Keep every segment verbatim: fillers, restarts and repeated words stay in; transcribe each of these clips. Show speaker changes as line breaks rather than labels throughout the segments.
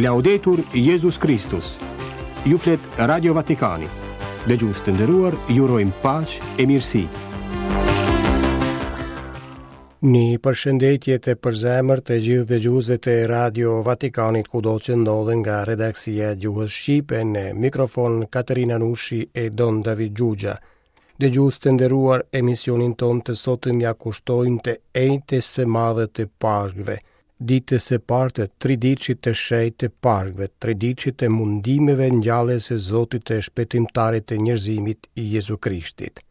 Laudetur Jezus Kristus. Ju flet Radio Vatikani. Dëgjues të nderuar, ju urojmë paqe e mirësi.
Një përshëndetje të përzemërt të gjithë dëgjuesve të Radio Vatikanit kudo që ndodhen nga redaksia e gjuhës shqipe në mikrofon Katerina Nushi e Don David Xhuxha. Dëgjues të nderuar, emisionin tonë të sotëm ja kushtojmë të enjtes së madhe të Pashkëve, ditës së parë të triditëshit të shenjtë të Pashkëve, triditëshit të mundimeve ngjalljes së Zotit të Shpëtimtarit të njerëzimit, Jezu Krishtit.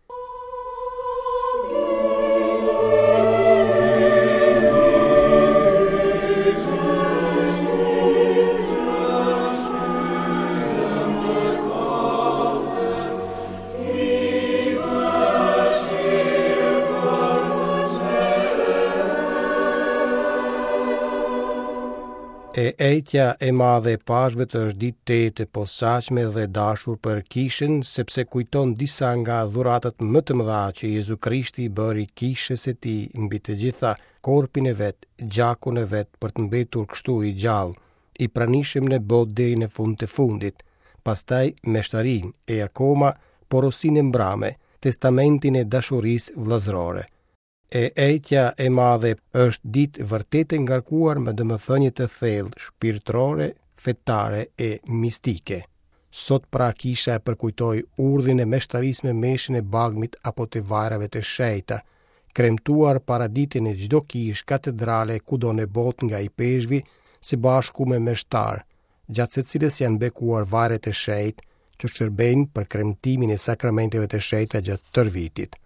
E enjtja e madhe e Pashkëve është ditë tejet e posaçme dhe dashur për kishën, sepse kujton disa nga dhuratat më të mëdha që Jezu Krishti i bëri kishës së tij, mbi të gjitha korpin e vet, gjakun e vet, për të mbetur kështu i gjallë, i pranishëm në botë deri në fund të fundit, pastaj meshtarinë e akoma porosinë e mbrame, testamentin e dashurisë vëllazërore. E enjtja e madhe është ditë vërtet e ngarkuar me domethënie të thellë shpirtërore, fetare e mistike. Sot pra kisha e përkujtoi urdhrin e meshtarisë me meshën e bagmit apo të vajrave të shenjta, kremtuar paradite në çdo kishë katedrale kudo në botë nga ipeshkvi së bashku me meshtar, gjatë së cilës janë bekuar vajrat e shenjtë që shërbejnë për kremtimin e sakramenteve të shenjta gjatë tërë vitit.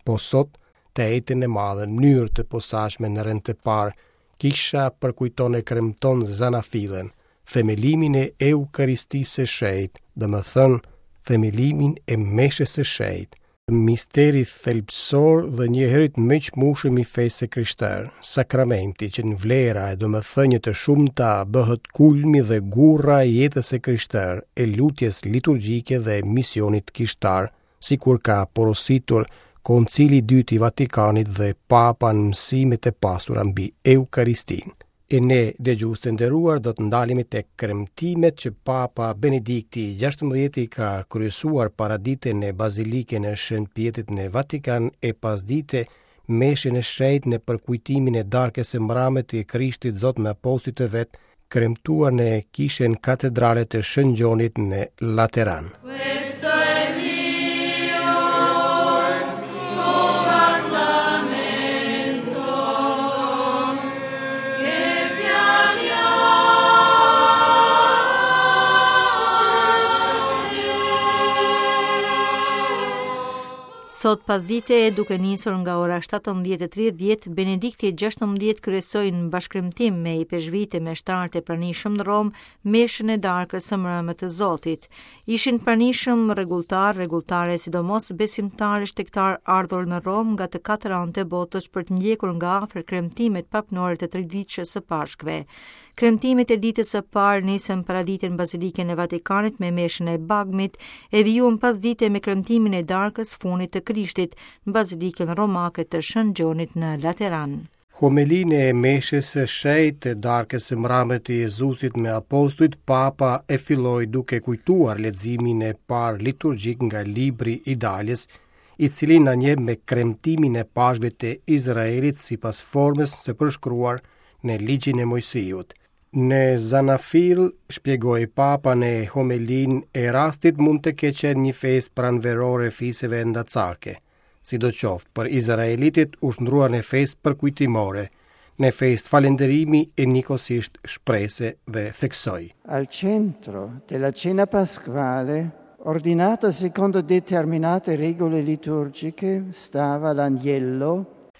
Po sot, të enjten e madhe, në mënyrë të posaçme në rend të parë, kisha përkujton e kremton zanafillën, themelimin e Eukaristisë së shenjtë, domethënë themelimin e meshës së shenjtë, misteri thelbësor dhe njëherit më i çmueshëm i fesë së krishterë, sakramenti që në vlera e domethënie të shumta bëhet kulmi dhe gurra e jetës së krishterë, e lutjes liturgjike dhe misionit kishtar, sikur ka porositur Koncili i dytë i Vatikanit dhe Papa në mësimet e pasura mbi Eukaristinë. E ne, dëgjues të nderuar, do të ndalemi tek kremtimet që Papa Benedikti i gjashtëmbëdhjeti ka kryesuar paradite në Bazilikën e Shën Pjetrit në Vatikan e pasdite meshën e shenjtë në përkujtimin e darkës së mbrame të Krishtit Zot me apostujt e vet, kremtuar në kishën katedrale të Shën Gjonit në Lateran.
Sot pasdite, duke nisur nga ora shtatëmbëdhjetë e tridhjetë, Benedikti gjashtëmbëdhjetë kryesoi në bashkëkremtim me ipeshkvit e meshtarët e pranishëm në Romë meshën e darkës së mbrëmë të Zotit. Ishin pranishëm rregulltar, rregulltare, sidomos besimtarë e shtegtar ardhur në Romë nga të katër anët e botës për të ndjekur nga afër kremtimet papnore të triditëshës së Pashkëve. Kremtimet e ditës së parë nisën paradite në Bazilikën e Vatikanit me meshën e Bagmit, e vijuan pasdite me kremtimin e darkës funit të Krishtit në Bazilikën Romake të Shën Gjonit në Lateran.
Homelinë e meshës së shenjtë të darkës së mbrame të Jezusit me apostujt, Papa e filloi duke kujtuar leximin e parë liturgjik nga libri i Daljes, i cili na njeh me kremtimin e Pashkëve të Izraelit sipas formës së përshkruar në ligjin e Moisiut. Në Zanafil, shpjegoi Papa në homelinë e rastit, mund të ketë qenë një festë pranverore fiseve ndacake. Sidoqoftë, për izraelitët u shndrua në festë përkujtimore, në festë falënderimi e njëkohësisht shprese dhe theksoi.
Al centro della cena pasquale, ordinata secondo determinate regole liturgiche, stava l'agnello.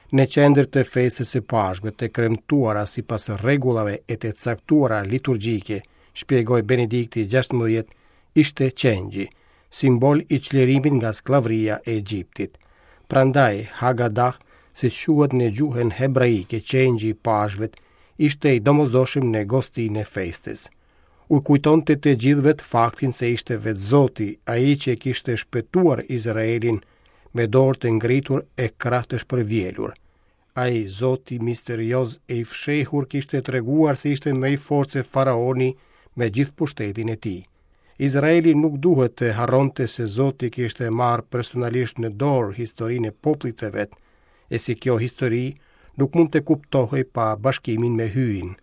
Në qendër të festës së Pashkëve të kremtuara sipas rregullave e të caktuara liturgjike, shpjegoi Benedikti gjashtëmbëdhjetë, ishte qengji, simbol i çlirimit nga skllavëria e Egjiptit. Prandaj Hagadah, si quhet në gjuhën hebraike qengji i Pashkëve, ishte i domosdoshëm në gostinë e festës. U kujtonte të gjithëve faktin se ishte vetë Zoti, ai që e kishte shpëtuar Izraelin me dorë të ngritur e krah të shpërvjelur. Ai Zoti misterioz e i fshehur kishte treguar se ishte më i fortë se faraoni me gjithë pushtetin e tij. Izraeli nuk duhet të harronte se Zoti kishte marrë personalisht në dorë historinë e popullit të vet, e si kjo histori nuk mund të kuptohej pa bashkimin me Hyjin.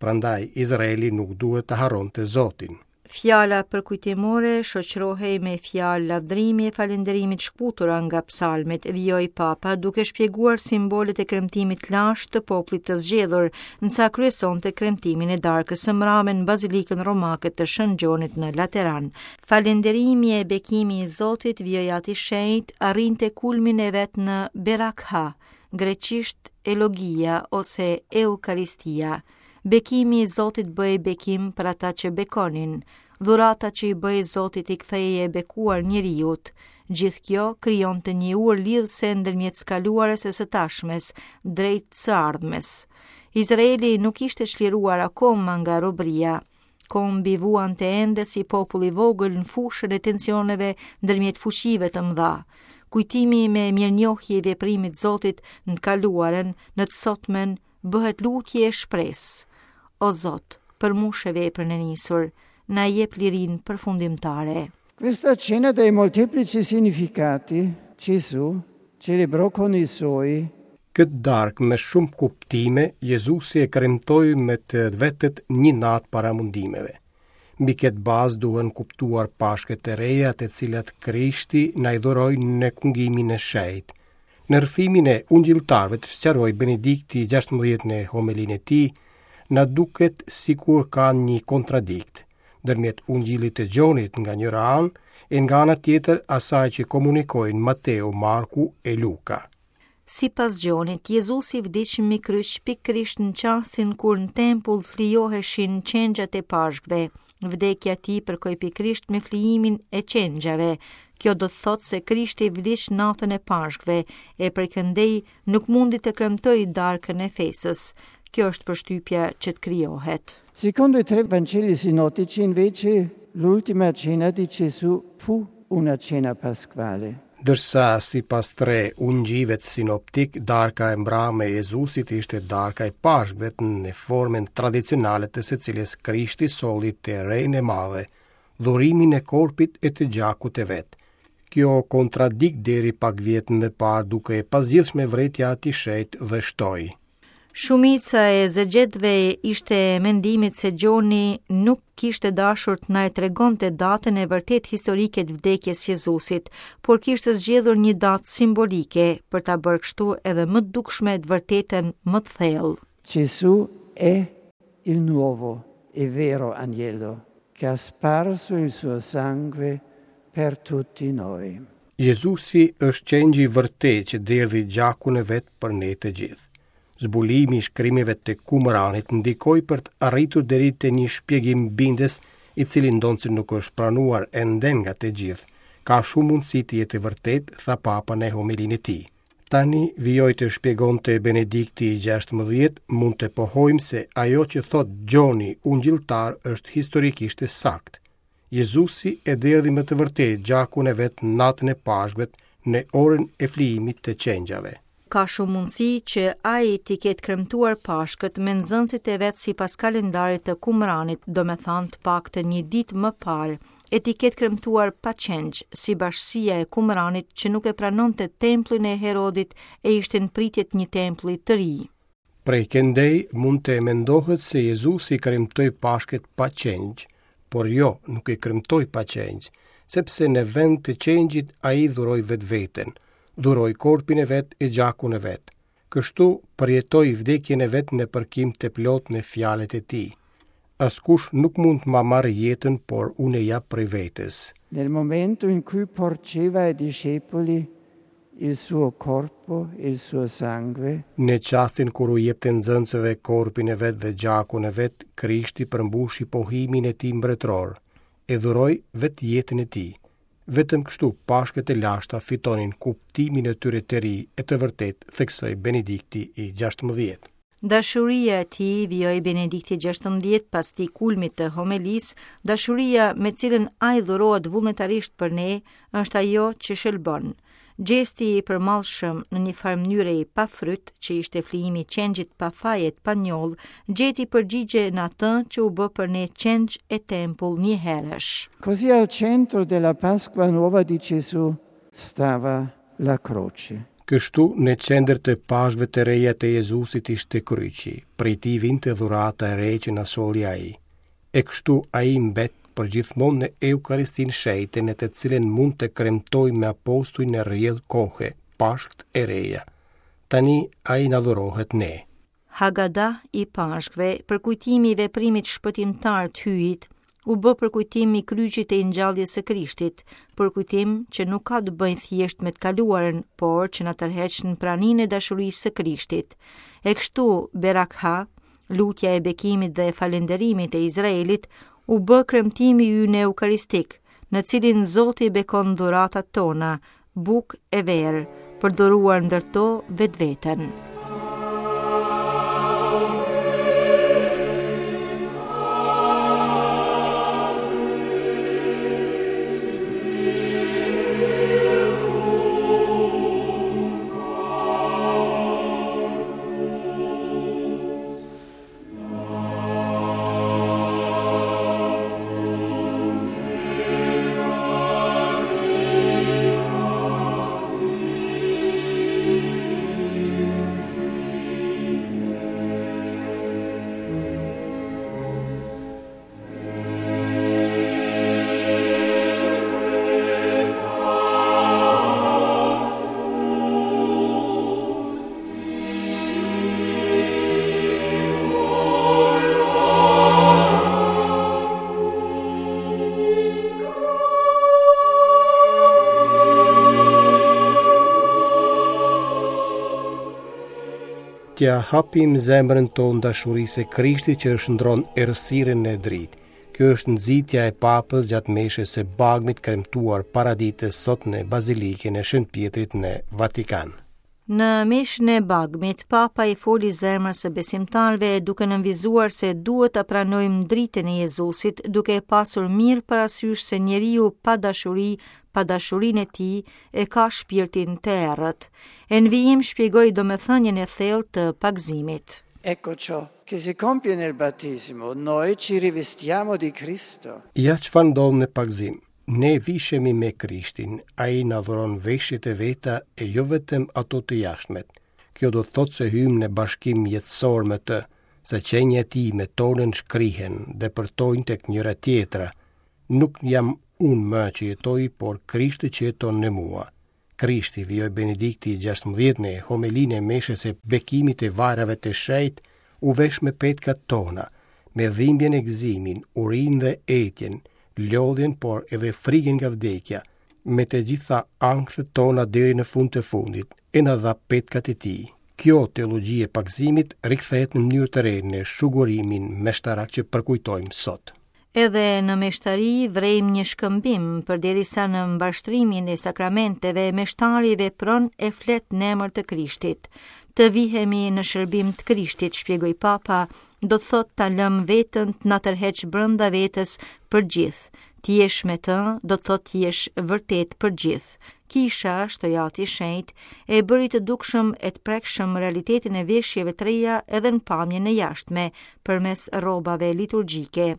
Prandaj Izraeli nuk duhet të harronte Zotin.
Fjala përkujtimore shoqërohej me fjalë lavdërimi e falënderimi të shkputura nga psalmet, vijoi Papa duke shpjeguar simbolet e kremtimit të lashtë të popullit të zgjedhur, ndërsa kryesonte kremtimin e darkës së mbrame në Bazilikën Romake të Shën Gjonit në Lateran. Falënderimi e bekimi i Zotit, vijoi Ati i Shenjtë, arrinte kulmin e vet në Berakha, greqisht elogia ose eukaristia. Bekimi i Zotit bëhej bekim për ata që bekonin, dhurata që i bëhej Zotit i kthehej e bekuar njeriut. Gjithë kjo krijonte një urë lidhëse ndërmjet së kaluarës e së tashmes, drejt së ardhmes. Izraeli nuk ishte çliruar akoma nga robëria. Kombi vuante ende si popull i vogël në fushën e tensioneve ndërmjet fuqive të mëdha. Kujtimi me mirënjohje i veprimit Zotit në të kaluarën, në të sotmen, bëhet lutje e shpresë. O Zot, përmbushe veprën e nisur, na jep lirinë përfundimtare.
Questa cena dai molteplici significati Gesù celebrò con i suoi
Këtë darkë me shumë kuptime, Jezusi e kremtoi me të vetët një natë para mundimeve. Mbi këtë bazë duhen kuptuar pashkët e reja të cilat Krishti na i dhuroi në kungimin e shenjtë. Në rrëfimin e ungjilltarëve të sqaroi Benedikti gjashtëmbëdhjetë në homelinë e tij, na duket sikur ka një kontradikt ndërmjet ungjillit të Gjonit nga njëra anë e nga ana tjetër asaj që komunikojnë Mateu, Marku e Luka.
Sipas Gjonit, Jezusi vdiq mbi kryq pikërisht në çastin kur në tempull flijoheshin qengjat e Pashkëve. Vdekja e tij përkoi pikërisht me flijimin e qengjave. Kjo do të thotë se Krishti vdiq natën e Pashkëve e prej këndej nuk mundi të kremtojë darkën e festës. Kjo është përshtypja që të krijohet.
Secondo i tre Vangeli sinottici, invece, l'ultima cena di Gesù fu una cena pasquale.
Ndërsa sipas tre ungjijve sinoptik, darka e mbrame e Jezusit ishte darka e Pashkëve në formën tradicionale të së cilës Krishti solli të renë e madhe, dhurimin e korpit e të gjakut të vet. Kjo kontradikt deri pak vjet më parë duke e pazgjidhshme vërejtja e Atit Shenjt dhe shtoi.
Shumica e egzegjetëve ishte e mendimit se Gjoni nuk kishte dashur të na e tregonte datën e vërtet historike të vdekjes Jezusit, por kishte zgjedhur një datë simbolike për ta bërë kështu edhe më të dukshme të vërtetën më të thellë.
Gesù è il nuovo e vero agnello che ha sparso il suo sangue per tutti noi.
Jezusi është qengji i vërtetë që derdhi gjakun e vet për ne të gjithë. Zbulimi i shkrimeve të Kumranit ndikoi për të arritur deri te një shpjegim bindës, i cili ndonëse nuk është pranuar ende nga të gjithë, ka shumë mundësi të jetë e vërtet, tha Papa në homelinë e tij. Tani vijoi të shpjegonte Benedikti i gjashtëmbëdhjetë, mund të pohojmë se ajo që thot Gjoni ungjilltar është historikisht e saktë. Jezusi e derdhi me të vërtetë gjakun e vet natën e Pashkëve në orën e flijimit të qengjave.
Ka shumë mundësi që ai t'i ketë kremtuar Pashkët me nxënësit e vet sipas kalendarit të Kumranit, do me thënë të paktën një ditë më parë, e t'i ketë kremtuar pa qengj, si bashkësia e Kumranit që nuk e pranonte templin e Herodit e ishte në pritje të një tempulli të ri.
Prej këndej mund të mendohet se Jezusi kremtoi Pashkët pa qengj, por jo, nuk e kremtoi pa qengj, sepse në vend të qengjit ai dhuroi vetveten, dhuroi korpin e vet e gjakun e vet. Kështu përjetoi vdekjen e vet në përkim të plot në fjalët e tij. Askush nuk mund të ma marrë jetën, por unë e jap prej vetes.
Nel momento in cui porgeva ai discepoli il suo corpo e il suo sangue,
Në çastin kur u jepte nxënësve korpin e vet dhe gjakun e vet, Krishti përmbushi pohimin e tij mbretëror, e dhuroi vetë jetën e tij. Vetëm kështu Pashkët e lashta fitonin kuptimin e tyre të ri e të vërtet, theksoi Benedikti i gjashtëmbëdhjetë.
Dashuria e tij, vijoi Benedikti gjashtëmbëdhjetë pas tij kulmit të homelisë, dashuria me cilën ai dhurohet vullnetarisht për ne, është ajo që shëlbon. Gjesti i përmallshëm në një farë mënyre i pafryt, që ishte flijimi i qengjit pa faj e pa njollë, gjeti përgjigje në atë që u bë për ne qengj e tempull njëherësh.
Così al centro della Pasqua nuova di Gesù stava la croce.
Kështu në qendër të Pashkëve të reja të Jezusit ishte kryqi, prej tij vinte dhurata e re që na solli ai. E kështu ai mbet për gjithmonë në Eukaristinë shenjte, në të cilën mund të kremtojmë me apostuj në rrjedh kohe, Pashkët e reja. Tani ai na dhurohet ne.
Hagada i Pashkëve, përkujtimi i veprimit shpëtimtar të Hyjit, u bë përkujtim i kryqit e ngjalljes së Krishtit, përkujtim që nuk ka të bëjë thjesht me të kaluarën, por që na tërheq në praninë e dashurisë së Krishtit. E kështu Berakha, lutja e bekimit dhe e falënderimit e Izraelit, u bë kremtimi ynë eukaristik, në cilin Zoti bekon dhuratat tona, bukë e verë, për dhuruar ndër to vetveten.
T'ja hapim zemrën tonë dashurisë së Krishtit që shndron errësirën në dritë. Kjo është nxitja e Papës gjatë meshës së Bagmit kremtuar paraditës sot në Bazilikën e Shën Pjetrit në Vatikan.
Në meshën e Bagmit, Papa i foli zemrës së besimtarëve duke nënvizuar se duhet ta pranojmë dritën e Jezusit, duke e pasur mirë parasysh se njeriu pa dashuri, pa dashurinë e tij, e ka shpirtin të errët. E në vijim shpjegoi domethënien e thellë të pagëzimit.
Ecco ciò che si compie nel battesimo, noi ci rivestiamo di Cristo.
Ja çfarë ndodh në pagëzim. Ne vishemi me Krishtin, ai na dhuron veshjet e veta e jo vetëm ato të jashtmet. Kjo do të thotë se hyjmë në bashkim jetësor me të, se qenia e tij me tonën shkrihen dhe përtojnë tek njëra tjetra. Nuk jam unë më që jetoj, por Krishti që jeton në mua. Krishti, vijoi Benedikti i gjashtëmbëdhjetë në homelinë e meshës së bekimit të vajrave të shenjtë, u vesh me petkat tona, me dhimbjen e gëzimin, urinë dhe etjen, lodhjen, por edhe frikën nga vdekja, me të gjitha ankthet tona deri në fund të fundit, e na dha petkat e tij. Kjo teologji e pagëzimit rikthehet në mënyrë të re në shugurimin meshtarak që përkujtojmë sot.
Edhe në meshtari vrejmë një shkëmbim, përderisa në mbarshtrimin e sakramenteve meshtari vepron e flet në emër të Krishtit. Të vihemi në shërbim të Krishtit, shpjegoi Papa, do të thotë ta lëm veten të na tërheq brenda vetes për gjithë. Ti jesh me të, do të thotë të jesh vërtet për gjithë. Kisha, shtoi Ati i Shenjt, e bëri të dukshëm e të prekshëm realitetin e veshjeve të reja edhe në pamjen e jashtme, përmes rrobave liturgjike.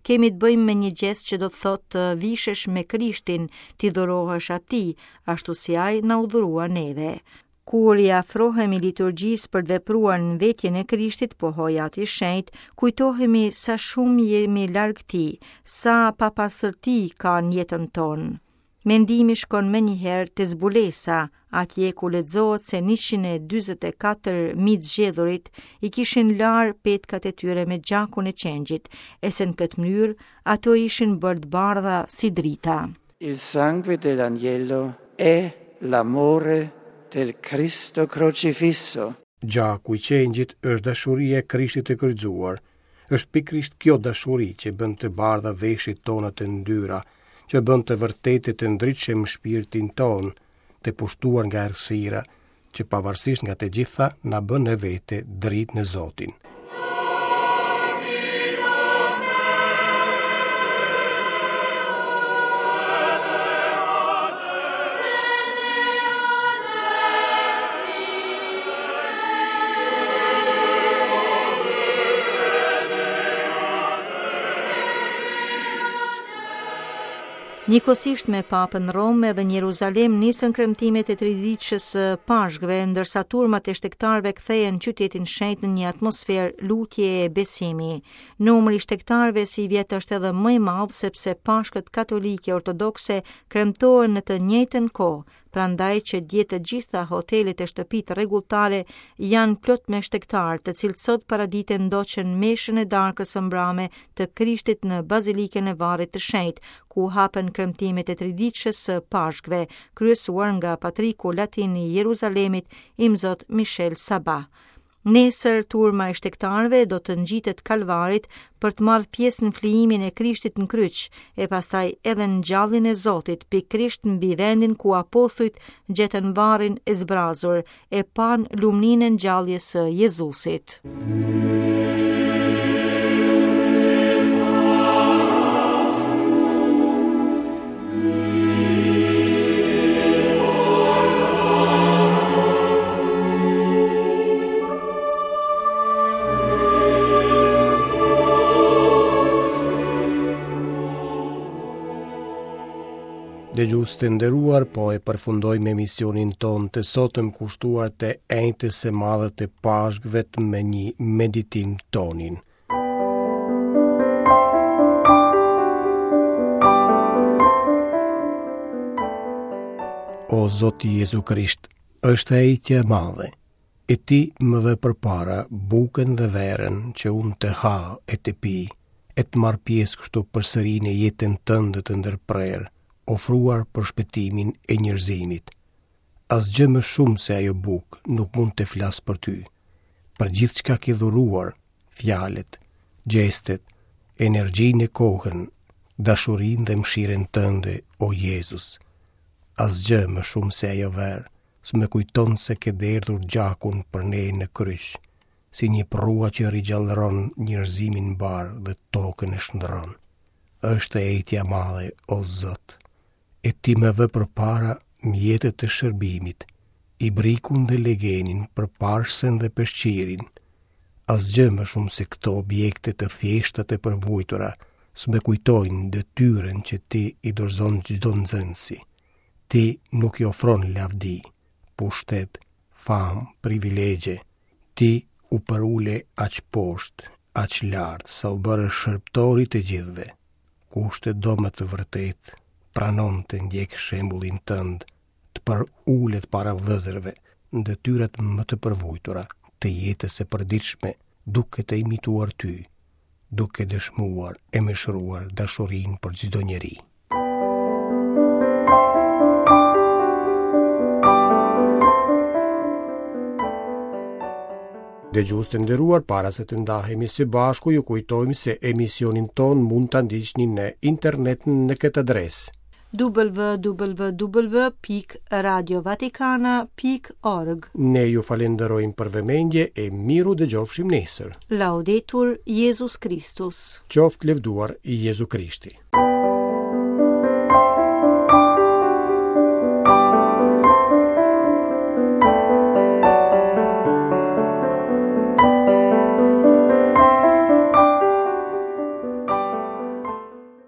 Kemi të bëjmë me një gjest që do të thotë të vishesh me Krishtin, t'i dhurohesh atij, ashtu si ai na u dhurua neve. Kur i afrohemi liturgjisë për të vepruar në vetjen e Krishtit, pohoi Ati i Shenjt, kujtohemi sa shumë jemi larg tij, sa papastërti ka në jetën tonë. Mendimi shkon menjëherë te zbulesa, atje ku lexohet se njëqind e dyzet e katër mijë të zgjedhurit i kishin larë petkat e tyre me gjakun e qengjit, e se në këtë mënyrë ato ishin bërë të bardha si drita.
Il sangue dell'agnello è l'amore del Cristo crocifisso.
Gjaku i qengjit është dashuria e Krishtit të kryqëzuar. Është pikërisht kjo dashuri që bën të bardha veshjet tona të ndyra, që bën të vërtetë të ndritshëm shpirtin ton, të pushtuar nga errësira, që pavarësisht nga të gjitha na bën në vete dritë në Zotin.
Njëkohësisht me Papën në Romë edhe në Jeruzalem nisën kremtimet e triditëshes së Pashkëve, ndërsa turmat e shtegtarëve kthehen qytetin shenjt në një atmosferë lutje e besimi. Numri i shtegtarëve sivjet është edhe më i madh sepse Pashkët katolike ortodokse kremtohen në të njëjtën kohë, prandaj që dje të gjitha hotelet e shtëpitë rregulltare janë plot me shtegtarë, të cilët sot paradite ndoqën meshën e darkës së mbrame të Krishtit në Bazilikën e Varrit të Shenjtë, ku hapen kremtimet e triditëshes së Pashkëve, kryesuar nga patriku latin i Jeruzalemit, Imzot Michel Sabah. Nesër turma e shtegtarëve do të ngjitet Kalvarit për të marrë pjesë në flijimin e Krishtit në kryq, e pastaj edhe në ngjalljen e Zotit, pikërisht mbi vendin ku apostujt gjetën varrin e zbrazur, e panë lumninë e ngjalljes së Jezusit.
Dëgjues të nderuar, po e përfundojmë emisionin tonë të sotëm kushtuar të enjtës së madhe të Pashkëve me një meditim tonin. O Zoti Jezu Krisht, është e enjtja e madhe, e ti më vë përpara bukën dhe verën që unë të ha e të pi, e të marr pjesë kështu përsëri në jetën tënde të ndërprerë, ofruar për shpëtimin e njerëzimit. Asgjë më shumë se ajo bukë nuk mund të flas për ty. Për gjithçka ke dhuruar, fjalët, gjestet, energjinë e kohën, dashurinë dhe mëshirën tënde, o Jezus. Asgjë më shumë se ajo verë, s'më kujton se ke derdhur gjakun për ne në kryq, si një prrua që rigjallëron njerëzimin mbar dhe tokën e shndron. Është e enjtja e madhe, o Zot, e ti më vë përpara mjetet e shërbimit, ibrikun dhe legenin, përparësen dhe peshqirin. Asgjë më shumë se këto objekte të thjeshta të përvujtura, s'më kujtojnë detyrën që ti i dorëzon çdo nxënësi. Ti nuk i ofron lavdi, pushtet, famë, privilegje. Ti u përule aq poshtë, aq lart, sa u bëre shërbëtori të gjithëve. Kush të do me të vërtetë, pranon të ndjek shembullin tënd, të përulet para vëllezërve, në detyrat më të përvujtura të jetës së përditshme, duke të imituar ty, duke dëshmuar e mëshiruar dashurinë për çdo njeri. Dëgjues të nderuar, para se të ndahemi së bashku, ju kujtojmë se emisionin ton mund ta ndiqni në internet në këtë adresë:
w w w pikë radio vatikana pikë org.
Ne ju falenderojmë për vëmendje e miru dëgjofshim nesër.
Laudetur Jezus Kristus.
Qoftë lëvduar Jezu Krishti.